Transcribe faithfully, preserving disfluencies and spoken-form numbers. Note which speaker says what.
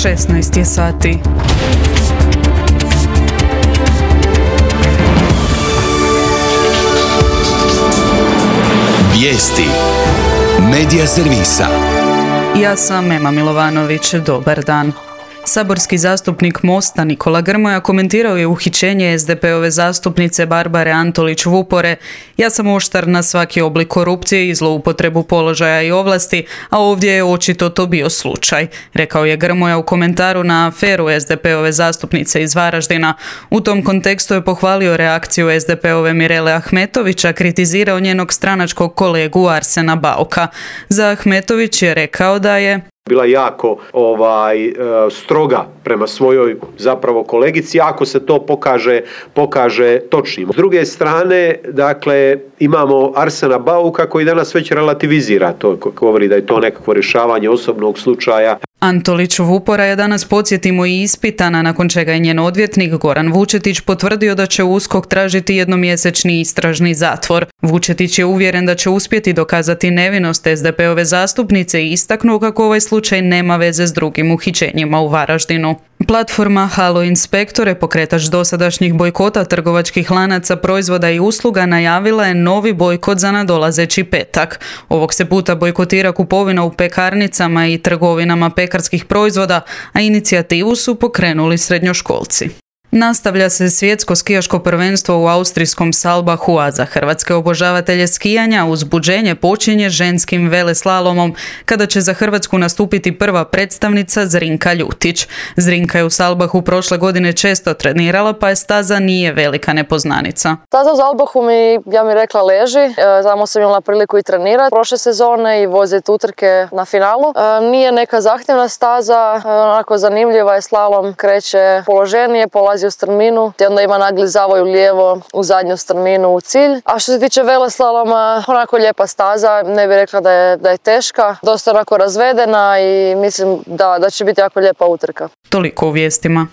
Speaker 1: šesnaest je sati.
Speaker 2: Vijesti Medija servisa.
Speaker 1: Ja sam Ema Milovanović, dobar dan. Saborski zastupnik Mosta Nikola Grmoja komentirao je uhićenje es de pe ove zastupnice Barbare Antolić Vupore. Ja sam oštar na svaki oblik korupcije i zloupotrebu položaja i ovlasti, a ovdje je očito to bio slučaj, rekao je Grmoja u komentaru na aferu es de pe ove zastupnice iz Varaždina. U tom kontekstu je pohvalio reakciju es de pe ove Mirele Ahmetovića, kritizirao njenog stranačkog kolegu Arsena Bauka. Za Ahmetović je rekao da je
Speaker 3: bila jako ovaj stroga prema svojoj zapravo kolegici, ako se to pokaže pokaže točnim. S druge strane, dakle, imamo Arsena Bauka koji danas već relativizira to, govori da je to nekakvo rješavanje osobnog slučaja.
Speaker 1: Antolić Vupora je danas, podsjetimo, i ispitana, nakon čega je njen odvjetnik Goran Vučetić potvrdio da će U S K O K tražiti jednomjesečni istražni zatvor. Vučetić je uvjeren da će uspjeti dokazati nevinost es de pe ove zastupnice i istaknuo kako ovaj slučaj nema veze s drugim uhićenjima u Varaždinu. Platforma Halo Inspektore, pokretač dosadašnjih bojkota trgovačkih lanaca proizvoda i usluga, najavila je novi bojkot za nadolazeći petak. Ovog se puta bojkotira kupovina u pekarnicama i trgovinama pekarskih proizvoda, a inicijativu su pokrenuli srednjoškolci. Nastavlja se svjetsko skijaško prvenstvo u austrijskom Salbachu, a za hrvatske obožavatelje skijanja uzbuđenje počinje ženskim veleslalomom, kada će za Hrvatsku nastupiti prva predstavnica Zrinka Ljutić. Zrinka je u Salbachu prošle godine često trenirala, pa je staza nije velika nepoznanica.
Speaker 4: Staza u Salbachu mi, ja mi rekla, leži. Tamo sam imala priliku i trenirati prošle sezone i voziti utrke na finalu. Nije neka zahtjevna staza, onako zanimljiva je, slalom kreće položenije, polazi u strminu, te onda ima nagli zavoj u lijevo u zadnju strminu u cilj. A što se tiče veleslaloma, onako lijepa staza, ne bih rekla da je, da je teška, dosta onako razvedena i mislim da, da će biti jako lijepa utrka.
Speaker 1: Toliko u vijestima.